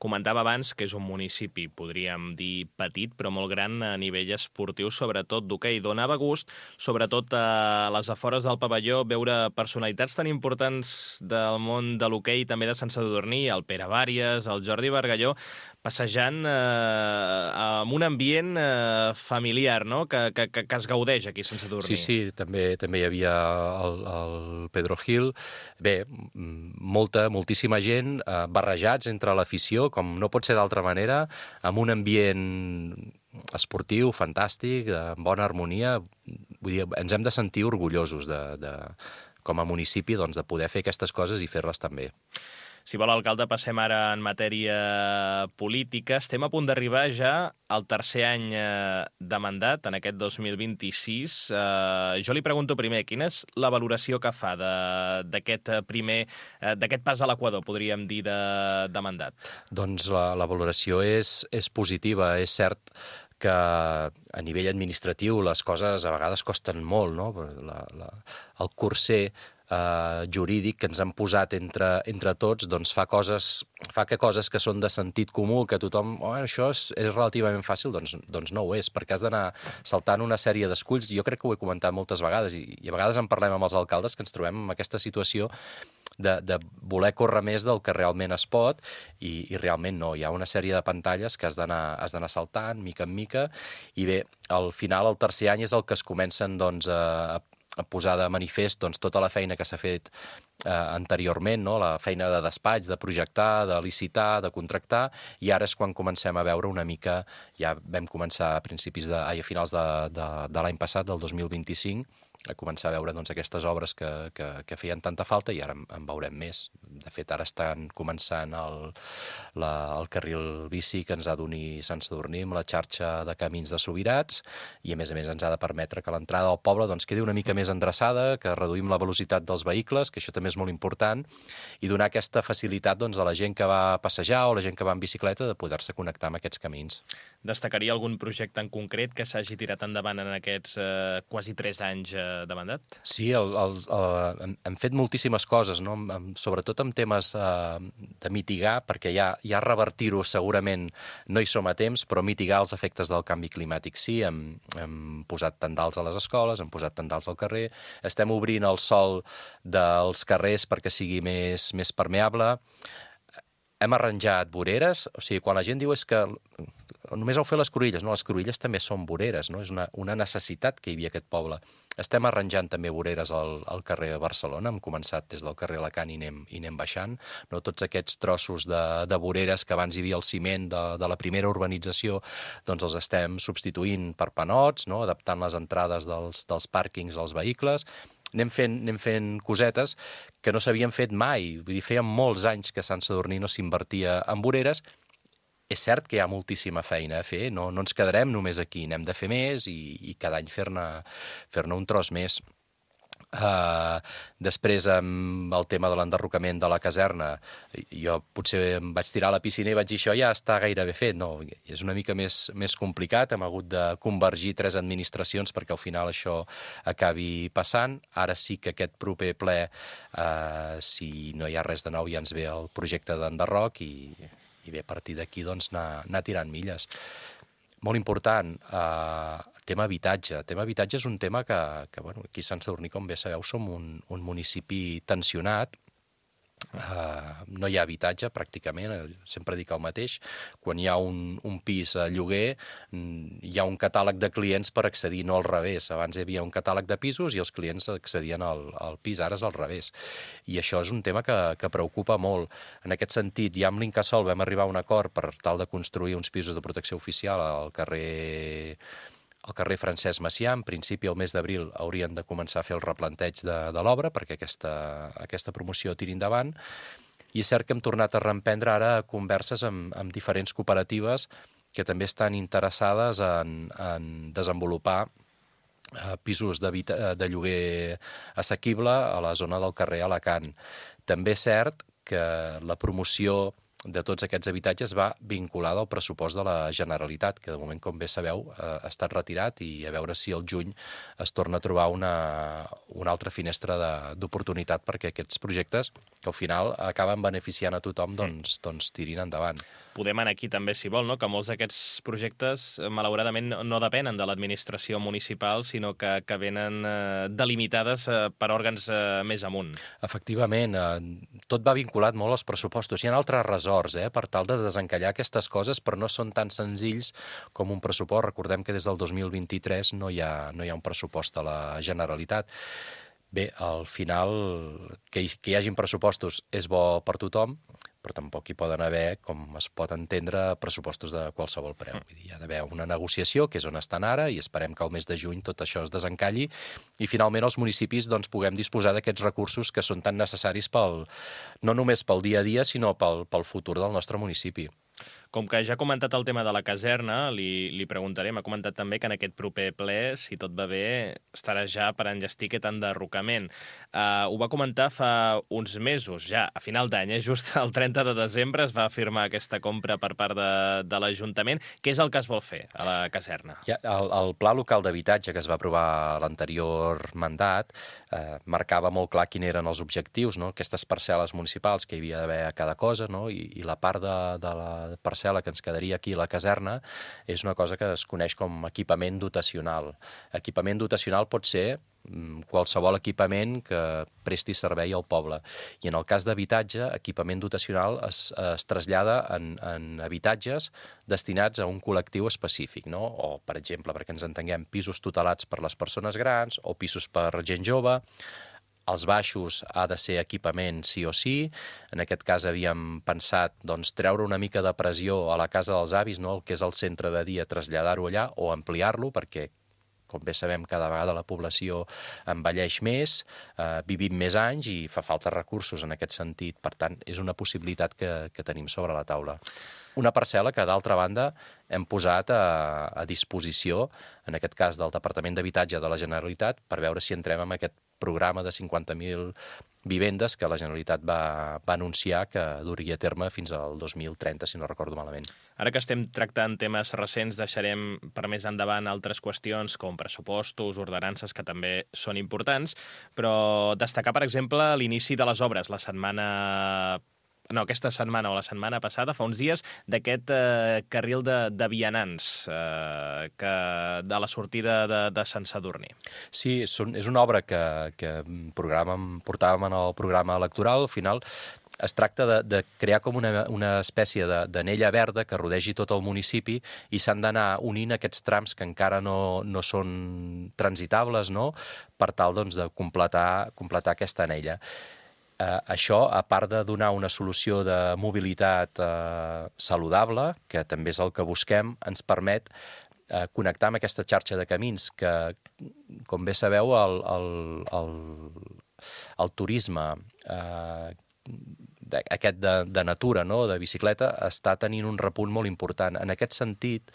Comentava abans que és un municipi, podríem dir petit, però molt gran a nivell esportiu, sobretot d'hoquei. Donava gust, sobretot a les afores del pavelló, veure personalitats tan importants del món de l'hoquei, també de Sant Sadurní, el Pere Vàries, el Jordi Bargalló, passejant amb un ambient familiar, no?, que es gaudeix aquí a Sant Sadurní. Sí, també hi havia el Pedro Gil. Bé, moltíssima gent, barrejats entre l'afició, com no pot ser d'altra manera, amb un ambient esportiu, fantàstic, en bona harmonia. Vull dir, ens hem de sentir orgullosos com a municipi doncs, de poder fer aquestes coses i fer-les també. Si vol, alcalde, passem ara en matèria política. Estem a punt d'arribar ja al tercer any de mandat, en aquest 2026. Jo li pregunto primer, quina és la valoració que fa d'aquest pas a l'equador, podríem dir, de mandat? Doncs la valoració és positiva. És cert que a nivell administratiu les coses a vegades costen molt, no? El curser jurídic que ens han posat entre tots doncs fa que coses que són de sentit comú, que tothom, això és relativament fàcil, doncs no ho és, perquè has d'anar saltant una sèrie d'esculls. Jo crec que ho he comentat moltes vegades i a vegades en parlem amb els alcaldes, que ens trobem en aquesta situació de voler córrer més del que realment es pot i realment no. Hi ha una sèrie de pantalles que has d'anar saltant, mica en mica, i bé, al final, el tercer any és el que es comencen doncs, a posar de manifest doncs, tota la feina que s'ha fet anteriorment, no? La feina de despatx, de projectar, de licitar, de contractar, i ara és quan comencem a veure una mica, ja vam començar a finals de l'any passat, del 2025, a començar a veure doncs, aquestes obres que feien tanta falta i ara en veurem més. De fet, ara estan començant el carril bici que ens ha d'unir Sant Sadurní amb la xarxa de camins de Subirats i, a més ens ha de permetre que l'entrada al poble doncs, quedi una mica més endreçada, que reduïm la velocitat dels vehicles, que això també és molt important, i donar aquesta facilitat doncs, a la gent que va a passejar o la gent que va en bicicleta de poder-se connectar amb aquests camins. Destacaria algun projecte en concret que s'hagi tirat endavant en aquests quasi 3 anys de mandat? Sí, hem fet moltíssimes coses, no? Sobretot en temes de mitigar, perquè ja revertir-ho segurament no hi som a temps, però mitigar els efectes del canvi climàtic sí. Hem posat tendals a les escoles, hem posat tendals al carrer, estem obrint el sòl dels carrers perquè sigui més permeable. Hem arranjat voreres, o sigui, quan la gent diu és que només heu fet les cruïlles, no, les cruïlles també són voreres, no? És una necessitat que hi havia aquest poble. Estem arranjant també voreres al carrer de Barcelona, hem començat des del carrer Alacant i anem baixant, no? Tots aquests trossos de voreres que abans hi havia el ciment de la primera urbanització, doncs els estem substituint per panots, no? Adaptant les entrades dels pàrquings als vehicles. Anem fent cosetes que no s'havien fet mai. Vull dir, feia molts anys que Sant Sadurní no s'invertia en voreres. És cert que hi ha moltíssima feina a fer, no ens quedarem només aquí, n'hem de fer més i cada any fer-ne un tros més. Després, amb el tema de l'enderrocament de la caserna, jo potser em vaig tirar a la piscina i vaig dir això ja està gairebé fet. No, és una mica més complicat, hem hagut de convergir 3 administracions perquè al final això acabi passant. Ara sí que aquest proper ple, si no hi ha res de nou, ja ens ve el projecte d'enderroc i bé, a partir d'aquí doncs, anar tirant milles. Molt important, tema habitatge. Tema habitatge és un tema que bueno, aquí a Sant Sadurní, com bé sabeu, som un municipi tensionat. No hi ha habitatge, pràcticament, sempre dic el mateix. Quan hi ha un pis a lloguer, hi ha un catàleg de clients per accedir, no al revés. Abans hi havia un catàleg de pisos i els clients accedien al pis, ara és al revés. I això és un tema que preocupa molt. En aquest sentit, ja amb l'Incasòl vam arribar a un acord per tal de construir uns pisos de protecció oficial al carrer Francesc Macià. En principi, el mes d'abril haurien de començar a fer el replanteig de l'obra perquè aquesta promoció tiri endavant. I és cert que hem tornat a reemprendre ara converses amb diferents cooperatives que també estan interessades en desenvolupar pisos de lloguer assequible a la zona del carrer Alacant. També és cert que la promoció de tots aquests habitatges va vinculada al pressupost de la Generalitat, que de moment, com bé sabeu, ha estat retirat i a veure si al juny es torna a trobar una altra finestra d'oportunitat perquè aquests projectes, que al final acaben beneficiant a tothom, doncs tirin endavant. Podem anar aquí també, si vol, no? Que molts d'aquests projectes, malauradament, no depenen de l'administració municipal, sinó que venen delimitades per òrgans més amunt. Efectivament, tot va vinculat molt als pressupostos. Hi ha altres ressorts per tal de desencallar aquestes coses, però no són tan senzills com un pressupost. Recordem que des del 2023 no hi ha un pressupost a la Generalitat. Bé, al final, que hi hagin pressupostos és bo per tothom, però tampoc hi poden haver, com es pot entendre, pressupostos de qualsevol preu. Vull dir, hi ha d'haver una negociació, que és on estan ara, i esperem que al mes de juny tot això es desencalli i finalment els municipis doncs, puguem disposar d'aquests recursos que són tan necessaris no només pel dia a dia, sinó pel futur del nostre municipi. Com que ja ha comentat el tema de la caserna, li preguntaré, m'ha comentat també que en aquest proper ple, si tot va bé, estarà ja per enllestir aquest enderrocament. Ho va comentar fa uns mesos, ja a final d'any, just el 30 de desembre es va firmar aquesta compra per part de l'Ajuntament. Què és el que es vol fer a la caserna? Ja, el Pla Local d'Habitatge que es va aprovar a l'anterior mandat marcava molt clar quins eren els objectius, no? Aquestes parcel·les municipals que hi havia d'haver a cada cosa, no? I la part de la parcel·la que ens quedaria aquí a la caserna és una cosa que es coneix com equipament dotacional. Equipament dotacional pot ser qualsevol equipament que presti servei al poble. I en el cas d'habitatge, equipament dotacional es trasllada en habitatges destinats a un col·lectiu específic, no? O, per exemple, perquè ens entenguem, pisos tutelats per les persones grans o pisos per gent jove. Els baixos ha de ser equipament sí o sí. En aquest cas havíem pensat treure una mica de pressió a la casa dels avis, no? El que és el centre de dia, traslladar-ho allà o ampliar-lo, perquè, com bé sabem, cada vegada la població envelleix més, vivim més anys i fa falta recursos en aquest sentit. Per tant, és una possibilitat que tenim sobre la taula. Una parcel·la que, d'altra banda, hem posat a disposició, en aquest cas del Departament d'Habitatge de la Generalitat, per veure si entrem en aquest programa de 50.000 vivendes que la Generalitat va anunciar que duria a terme fins al 2030, si no recordo malament. Ara que estem tractant temes recents, deixarem per més endavant altres qüestions com pressupostos, ordenances, que també són importants, però destacar, per exemple, l'inici de les obres aquesta setmana o la setmana passada, fa uns dies, d'aquest carril de vianants de la sortida de Sant Sadurní. Sí, és una obra que portàvem en el programa electoral. Al final es tracta de crear com una espècie d'anella verda que rodegi tot el municipi i s'han d'anar unint aquests trams que encara no són transitables, no? Per tal de completar aquesta anella. Això, a part de donar una solució de mobilitat saludable, que també és el que busquem, ens permet connectar amb aquesta xarxa de camins que, com bé sabeu, el turisme aquest de natura, no? De bicicleta, està tenint un repunt molt important. En aquest sentit,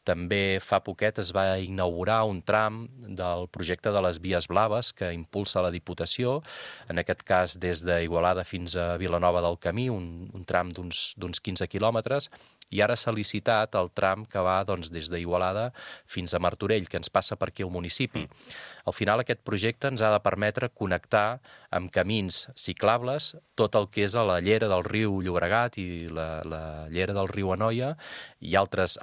també fa poquet es va inaugurar un tram del projecte de les Vies Blaves que impulsa la Diputació, en aquest cas des d'Igualada fins a Vilanova del Camí, un tram d'uns 15 quilòmetres, i ara s'ha licitat el tram que va des d'Igualada fins a Martorell, que ens passa per aquí al municipi. Al final aquest projecte ens ha de permetre connectar amb camins ciclables tot el que és a la llera del riu Llobregat i la llera del riu Anoia i altres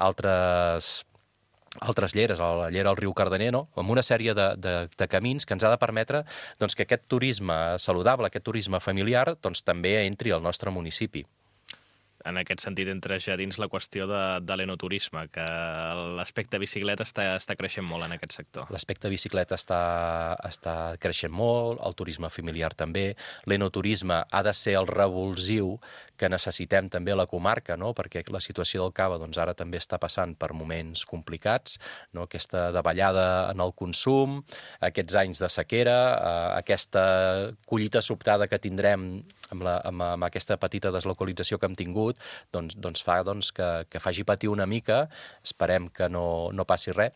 lleres, la llera del riu Cardener, no? Amb una sèrie de camins que ens ha de permetre que aquest turisme saludable, aquest turisme familiar, també entri al nostre municipi. En aquest sentit, entra ja dins la qüestió de l'enoturisme, que l'aspecte bicicleta està creixent molt en aquest sector. L'aspecte bicicleta està creixent molt, el turisme familiar també. L'enoturisme ha de ser el revulsiu que necessitem també a la comarca, no? Perquè la situació del cava ara també està passant per moments complicats, no? Aquesta davallada en el consum, aquests anys de sequera, aquesta collita sobtada que tindrem amb aquesta petita deslocalització que hem tingut, fa que faci patir una mica. Esperem que no passi res.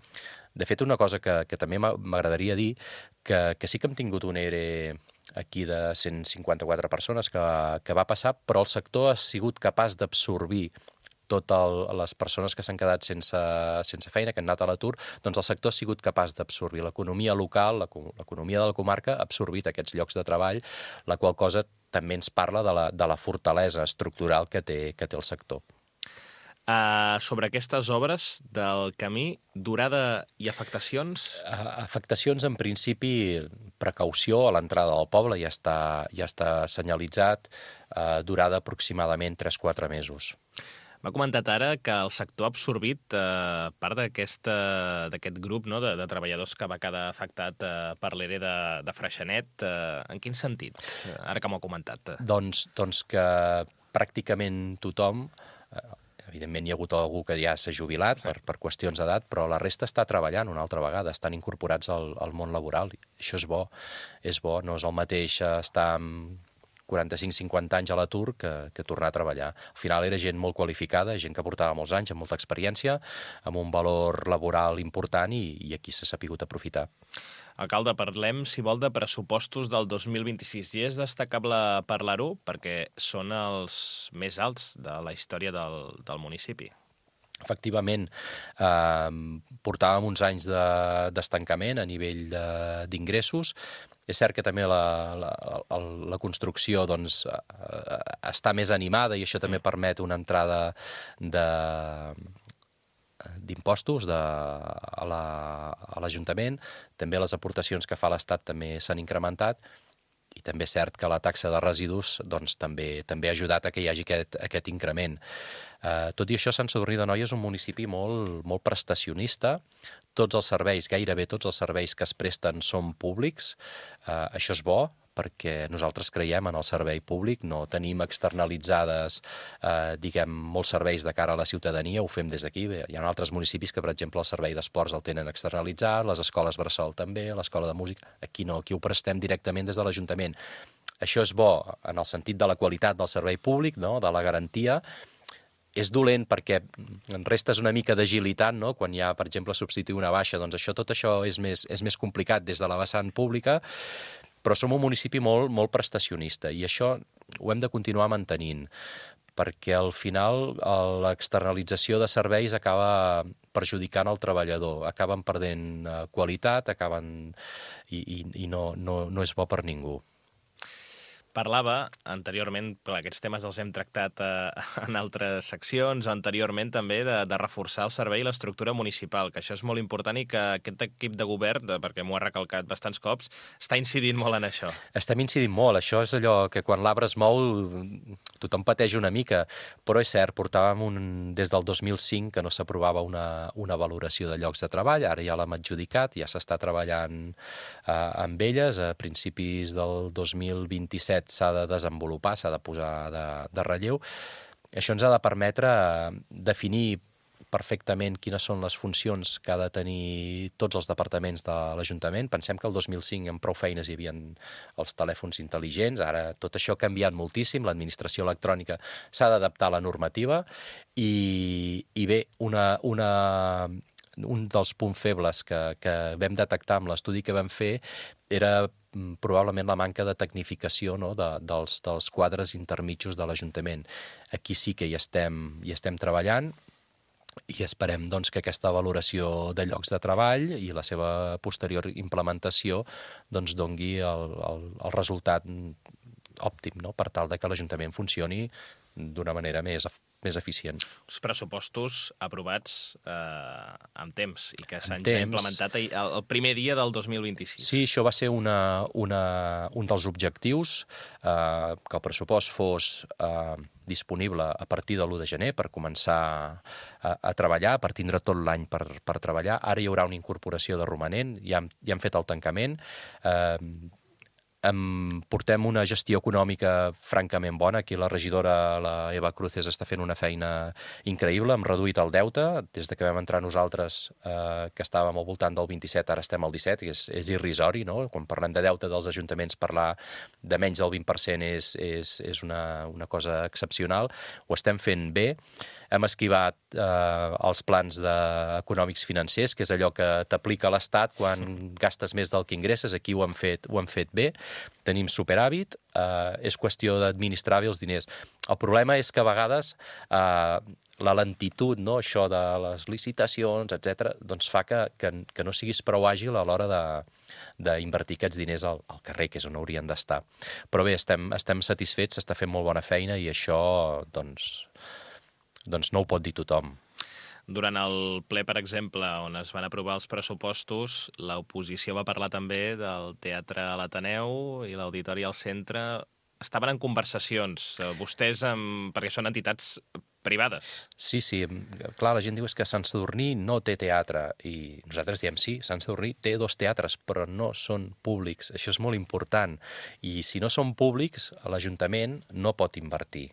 De fet, una cosa que també m'agradaria dir, que sí que hem tingut un ERE aquí de 154 persones que va passar, però el sector ha sigut capaç d'absorbir totes les persones que s'han quedat sense feina, que han anat a l'atur, el sector ha sigut capaç d'absorbir. L'economia local, l'economia de la comarca ha absorbit aquests llocs de treball, la qual cosa també ens parla de la fortalesa estructural que té el sector. Sobre aquestes obres del camí, durada i afectacions? Afectacions, en principi, precaució a l'entrada del poble, ja està senyalitzat, durada aproximadament 3-4 mesos. M'ha comentat ara que el sector ha absorbit part d'aquest grup, no, de treballadors que va quedar afectat per l'ERE de Freixenet. En quin sentit, ara que m'ho ha comentat? Doncs que pràcticament tothom, evidentment hi ha hagut algú que ja s'ha jubilat per qüestions d'edat, però la resta està treballant una altra vegada, estan incorporats al món laboral. Això és bo, no és el mateix estar amb 45-50 anys a l'atur que tornar a treballar. Al final era gent molt qualificada, gent que portava molts anys, amb molta experiència, amb un valor laboral important i aquí s'ha sapigut aprofitar. Alcalde, parlem, si vol, de pressupostos del 2026. I és destacable parlar-ho perquè són els més alts de la història del municipi. Efectivament, portàvem uns anys d'estancament a nivell d'ingressos. És cert que també la construcció està més animada i això també permet una entrada d'impostos a l'Ajuntament. També les aportacions que fa l'Estat també s'han incrementat i també és cert que la taxa de residus també ha ajudat a que hi hagi aquest increment. Tot i això, Sant Sadurní d'Anoia és un municipi molt prestacionista. Tots els serveis, gairebé tots els serveis que es presten són públics. Això és bo, perquè nosaltres creiem en el servei públic, no tenim externalitzades, molts serveis de cara a la ciutadania, ho fem des d'aquí. Hi ha altres municipis que, per exemple, el servei d'esports el tenen externalitzat, les escoles bressol també, l'escola de música. Aquí no, aquí ho prestem directament des de l'Ajuntament. Això és bo en el sentit de la qualitat del servei públic, no? De la garantia. És dolent perquè restes una mica d'agilitat, no? Quan hi ha, per exemple, substituir una baixa, doncs tot això és més complicat des de la vessant pública, però som un municipi molt prestacionista i això ho hem de continuar mantenint, perquè al final l'externalització de serveis acaba perjudicant el treballador, acaben perdent qualitat, i no és bo per ningú. Parlava anteriorment, però aquests temes els hem tractat en altres seccions, anteriorment també de reforçar el servei i l'estructura municipal, que això és molt important i que aquest equip de govern, perquè m'ho ha recalcat bastants cops, està incidint molt en això. Estem incidint molt, això és allò que quan l'arbre es mou tothom pateix una mica, però és cert, portàvem des del 2005 que no s'aprovava una valoració de llocs de treball, ara ja l'hem adjudicat, ja s'està treballant amb elles, a principis del 2027 s'ha de desenvolupar, s'ha de posar de relleu. Això ens ha de permetre definir perfectament quines són les funcions que ha de tenir tots els departaments de l'Ajuntament. Pensem que el 2005 amb prou feines hi havia els telèfons intel·ligents, ara tot això ha canviat moltíssim, l'administració electrònica s'ha d'adaptar a la normativa i bé, un dels punts febles que vam detectar amb l'estudi que vam fer era probablement la manca de tecnificació, no? dels quadres intermitjos de l'Ajuntament. Aquí sí que hi estem treballant i esperem que aquesta valoració de llocs de treball i la seva posterior implementació dongui el resultat òptim, no? Per tal que l'Ajuntament funcioni d'una manera més eficient. Els pressupostos aprovats amb temps i que s'han ja implementat el primer dia del 2026. Sí, això va ser un dels objectius, que el pressupost fos disponible a partir de l'1 de gener per començar a treballar, per tindre tot l'any per treballar. Ara hi haurà una incorporació de romanent, ja hem fet el tancament, portem una gestió econòmica francament bona. Aquí la regidora, la Eva Cruces, està fent una feina increïble. Hem reduït el deute. Des que vam entrar nosaltres, que estàvem al voltant del 27, ara estem al 17, i és irrisori, no? Quan parlem de deute dels ajuntaments, parlar de menys del 20% és una cosa excepcional. Ho estem fent bé. Hem esquivat els plans econòmics financers, que és allò que t'aplica l'Estat quan gastes més del que ingresses. Aquí ho hem fet bé. Tenim superàvit, és qüestió d'administrar bé els diners. El problema és que a vegades la lentitud, no? Això de les licitacions, etc., doncs fa que no siguis prou àgil a l'hora d'invertir aquests diners al carrer, que és on haurien d'estar. Però bé, estem satisfets, s'està fent molt bona feina i això doncs no ho pot dir tothom. Durant el ple, per exemple, on es van aprovar els pressupostos, l'oposició va parlar també del teatre a l'Ateneu i l'auditori al centre. Estaven en conversacions, vostès, perquè són entitats privades. Sí, clar, la gent diu que Sant Sadurní no té teatre, i nosaltres diem sí, Sant Sadurní té 2 teatres, però no són públics. Això és molt important, i si no són públics, l'Ajuntament no pot invertir.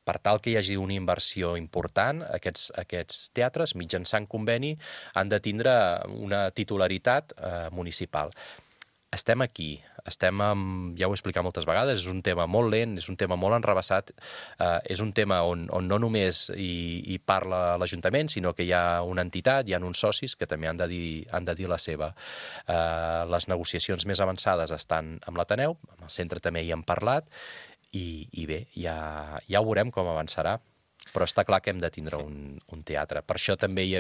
per tal que hi hagi una inversió important, aquests teatres, mitjançant conveni, han de tindre una titularitat municipal. Estem aquí, ja ho he explicat moltes vegades, és un tema molt lent, és un tema molt enrevessat, és un tema on no només hi parla l'Ajuntament, sinó que hi ha una entitat, hi ha uns socis que també han de dir la seva. Les negociacions més avançades estan amb l'Ateneu, amb el centre també hi hem parlat, i bé, ja ho veurem com avançarà. Però està clar que hem de tindre un teatre. Per això també hi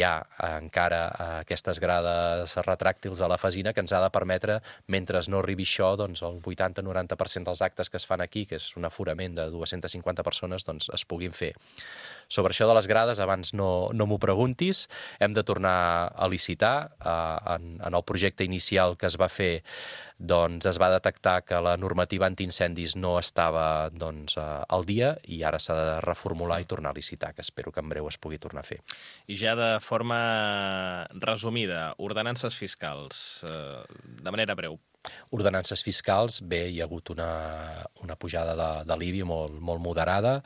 ha encara aquestes grades retràctils a la Fesina que ens ha de permetre, mentre no arribi això, doncs el 80-90% dels actes que es fan aquí, que és un aforament de 250 persones, doncs es puguin fer. Sobre això de les grades, abans no m'ho preguntis, hem de tornar a licitar. En el projecte inicial que es va fer, doncs es va detectar que la normativa antiincendis no estava al dia i ara s'ha de reformular i tornar a licitar, que espero que en breu es pugui tornar a fer. I ja de forma resumida, ordenances fiscals, de manera breu. Ordenances fiscals, bé, hi ha hagut una pujada de l'IBI molt moderada.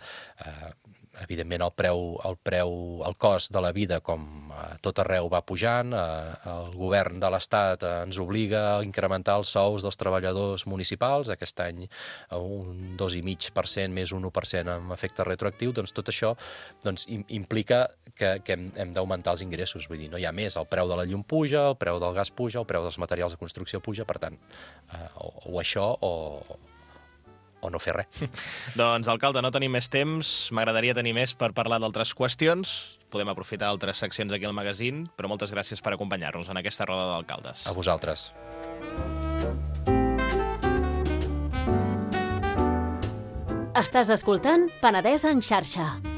Evidentment, el cost de la vida, com a tot arreu, va pujant. El govern de l'Estat ens obliga a incrementar els sous dels treballadors municipals. Aquest any un 2,5% més un 1% amb efecte retroactiu. Doncs tot això implica que hem d'augmentar els ingressos. Vull dir, no hi ha més. El preu de la llum puja, el preu del gas puja, el preu dels materials de construcció puja. Per tant, o això o no fer res. Doncs, alcalde, no tenim més temps. M'agradaria tenir més per parlar d'altres qüestions. Podem aprofitar altres seccions aquí al magazín, però moltes gràcies per acompanyar-nos en aquesta roda d'alcaldes. A vosaltres. Estàs escoltant Penedès en xarxa.